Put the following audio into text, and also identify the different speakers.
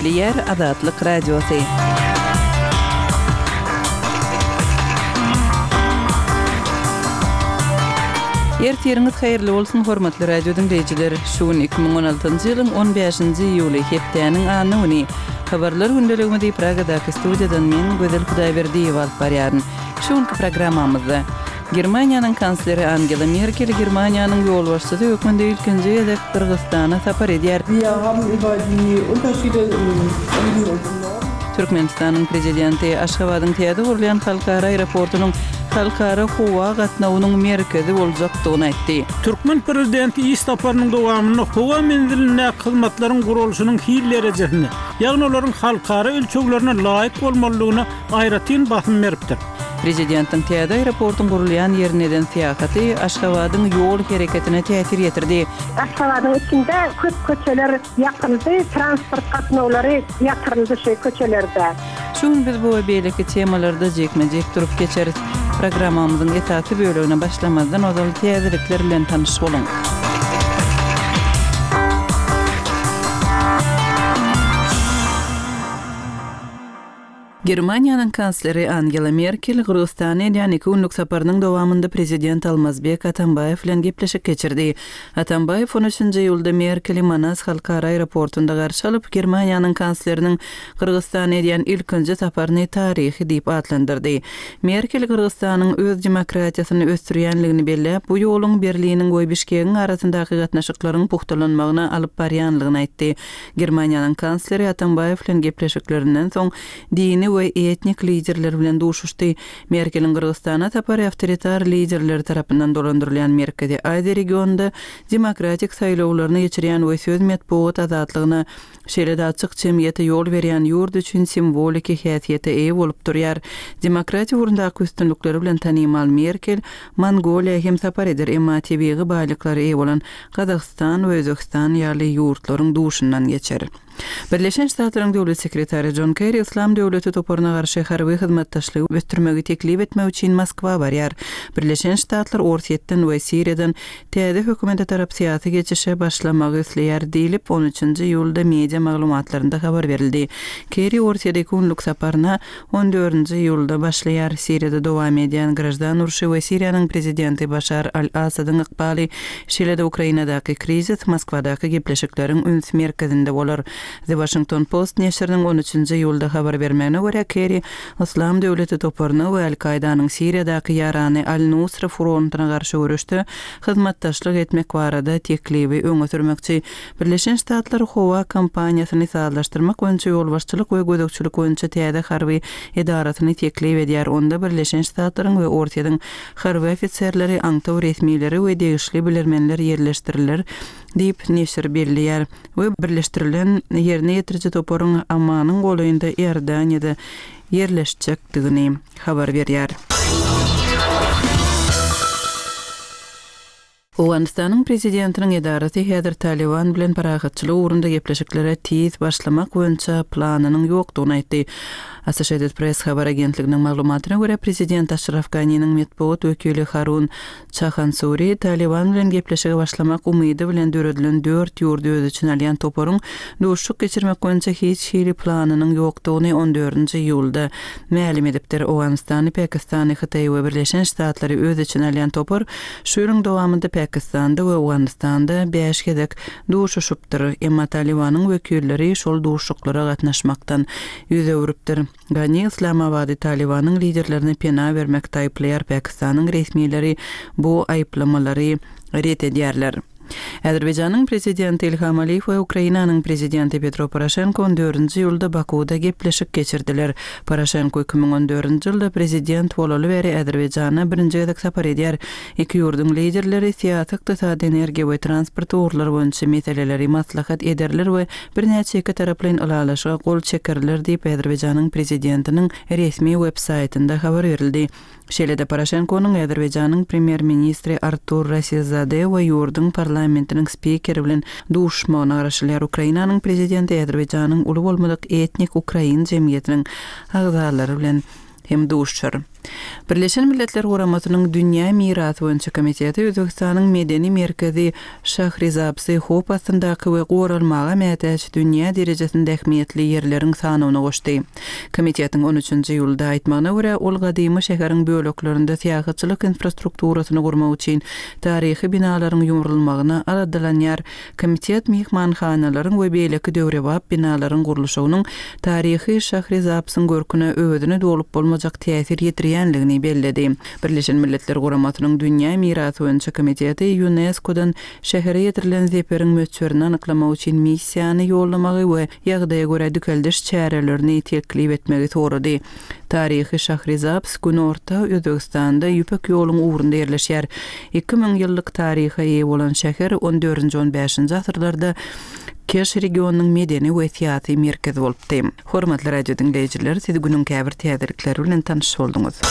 Speaker 1: Gepleýär Azatlyk Radiosy. Ertiriňiz haýyrly bolsun, hormatly radio diňleýjiler! Şu gün 2016-njy ýylyň 15-nji iýuly, hepdäniň anna güni. Habarlar gündeligimizi Pragadaky studiýadan men, Gözel Hudaýberdiýewa alyp barýaryn. Şu günki programmamyzda Germaniýanyň kansleri Angela Merkel Germaniýanyň ýolbaşçysy hökmünde ilkinji gezek Gyrgyzystana sapar edýär.
Speaker 2: Wir haben über die Unterschiede im Süden und im Norden.
Speaker 1: Türkmenistanyň Prezidenti Aşgabadyň täze gurulýan halkara aeroportunyň halkara howa gatnawynyň merkezi boljakdygyny aýtdy.
Speaker 3: Türkmen prezidenti iş saparynyň dowamynda howa menzilindäki hyzmatlaryň guralyşynyň hil derejesine, ýagny olaryň halkara ölçeglerine laýyk bolmalydygyna aýratyn basym beripdir.
Speaker 1: Prezidentiň täze aeroportuň gurulýan ýerine eden syýahaty Aşgabadyň ýol hereketine täsir ýetirdi.
Speaker 4: Aşgabadyň içinde köp köçeler ýapyldy, transport gatnawlary ýatyryldy şu köçelerde.
Speaker 1: Şu gün biz bu we beýleki temalarda jikme-jik durup geçeris. Programmamyzyň esasy bölegine başlamazdan ozal täzelikler bilen tanyş boluň. Germaniýanyň kansleri Angela Merkel Gyrgyzystana edýän iki günlük saparynyň dowamynda prezident Almazbek Atambaýew bilen gepleşik geçirdi. Atambaýew on üçünji iýulda Merkeli Manas halkara aeroportunda garşy alyp, Germaniýanyň kansleriniň Gyrgyzystana edýän ilkinji saparyny taryhy diýip atlandyrdy. Merkel Gyrgyzystanyň öz demokratiýasyny ösdürýänligini belläp, bu ýoluň Berliniň we Bişkegiň arasyndaky gatnaşyklaryň pugtalanmagyna alyp barýanlygyny aýtdy. Germaniýanyň kansleri Atambaýew bilen gepleşiklerinden soň dini we etnik liderler bilen duşuşdy. Merkeliň Gyrgyzystana sapary awtoritar liderleri tarapyndan dolandyrylýan Merkezi Aziýa regionynda demokratik saýlawlaryny geçirýän we söz metbugat azatlygyna, şeýle-de açyk jemgyýete ýol berýän ýurt üçin simwoliki häsiýete eýe bolup durýar. Demokratiýa ugrundaky üstünlikleri bilen tanymal Merkel Mongoliýa hem sapar eder, emma tebigy baýlyklara eýe bolan Gazagystan we Özbegistan ýaly ýurtlaryň duşundan geçer. Birleşen Ştatlaryň Döwlet sekretary Jon Kerri Yslam döwleti toparyna garşy harby hyzmatdaşlygy ösdürmegi teklip etmek üçin Moskwa barýar. Birleşen Ştatlar Orsýetden we Siriýadan täze hökümete tarap syýasy geçişe başlamagy isleýär diýlip, on üçünji iýulda media maglumatlarynda habar berildi. Kerri Orsýede iki günlük saparyna On dördünji iýulda başlaýar Siriýada dowam edýän graždan urşy we Siriýanyň prezidenti Başar al-Assadyň ykbaly, şeýle-de Ukrainadaky krizis Moskwadaky gepleşikleriň üns merkezinde bolar. The Washington Post neşiriniň on üçünji iýulda habar bermegine görä, Kerri Yslam döwleti toparyna we Al-Kaýdanyň Siriýadaky ýarany Al-Nusra frontyna garşy göreşde hyzmatdaşlyk etmek barada teklibi öňe sürmekçi. Birleşen Ştatlar howa kampaniýasyny sazlaşdyrmak boýunça ýolbaşçylyk we gözegçilik boýunça täze harby edarasyny teklip edýär, onda Birleşen Ştatlaryň we Orsýetiň harby ofiserleri, aňtaw resmileri we degişli bilermenler ýerleşdiriler diýip, neşir belleýär we birleşdirilen ýerine ýetiriji toparyň Ammanyň golaýynda Iordaniýada ýerleşjekdigini habar berýär. Owganystanyň prezidentiniň edarasy häzir Talyban bilen parahatçylyk ugrunda gepleşiklere tiz başlamak boýunça planynyň ýokdugyny aýtdy. Associated Press habar agentliginiň maglumatyna görä, prezident Aşraf Ganiniň metbugat wekili Harun Çahansuri Talyban bilen gepleşige başlamak umydy bilen döredilen dört ýurdy öz içine alýan toparyň duşuşyk geçirmek boýunça hiç hili planynyň ýokdugyny on dördünji iýulda mälim edipdir. Owganystany, Pakistany, Hytaýy we Birleşen Ştatlary öz içine alýan topar Şu ýylyň dowamynda Pakistanda we Owganystanda bäş gezek duşuşypdyr. Emma Talybanyň wekilleri şol duşuşyklara gatnaşmakdan ýüz öwrüpdir. Gani Yslamabady Talybanyň liderlerine pena bermekde aýyplaýar, Pakistanyň resmileri bu aýyplamalary ret edýärler. Azerbaýjanyň Prezidenti Ilham Aliýew we Ukrainanyň Prezidenti Petro Poroşenko on dördünji iýulda Bakuwda gepleşik geçirdiler. Poroşenko 2014-nji ýylda prezident bolaly bäri Azerbaýjana birinji gezek sapar edýär. Iki ýurduň liderleri syýasy, ykdysady, energiýa we transport ugurlary boýunça meseleleri maslahat ederler we birnäçe ikitaraplaýyn ylalaşyga gol çekerler diýip, Azerbaýjanyň Prezidentiniň resmi web-saýtynda habar berildi. Şeýle-de Poroşenkonyň Azerbaýjanyň premýer-ministri Artur Rasizade we ýurduň parlamentiniň spikeri bilen duşuşmagyna garaşylýar. Ukrainanyň prezidenti Azerbaýjanyň uly bolmadyk etnik ukrain jemgyýetiniň agzalary bilen hem duşuşar. Birleşen Milletler Guramasynyň Dünýä mirasy boýunça komiteti Özbegistanyň medeni merkezi Şahrizabsy howp astyndaky we goralmaga mätäç dünýä derejesinde ähmiýetli ýerleriň sanawyna goşdy. Komitetiň on üçünji iýulda aýtmagyna görä, ol gadymy şäheriň böleklerinde syýahatçylyk infrastrukturasyny gurmak üçin taryhy binalaryň ýumrulmagyna aladalanýar Komitet myhmanhanalaryň we beýleki döwrebap binalaryň gurluşygynyň taryhy Şahrizabsyň görküne özüne dolup bolmajak täsir ýetirýändigini belledi. Birleşen Milletler Guramasynyň Dünýä mirasy boýunça komiteti Ýunesko-dan şähere ýetirilen zeperiň möçberini anyklamak üçin missiýany ýollamagy we ýagdaýa görä dikeldiş çärelerini teklip etmegi sorady. Taryhy Şahrizabs günorta Özbegistanda Ýüpek ýoluň ugrunda ýerleşýär. 2000 ýyllyk taryha eýe bolan şäher on dördünji-on bäşinji asyrlarda Keş regionynyň medeni we syýasy merkezi bolupdy. Hormatly radio diňleýjiler, siz günüň käbir täzelikleri bilen tanyş bolduňyz.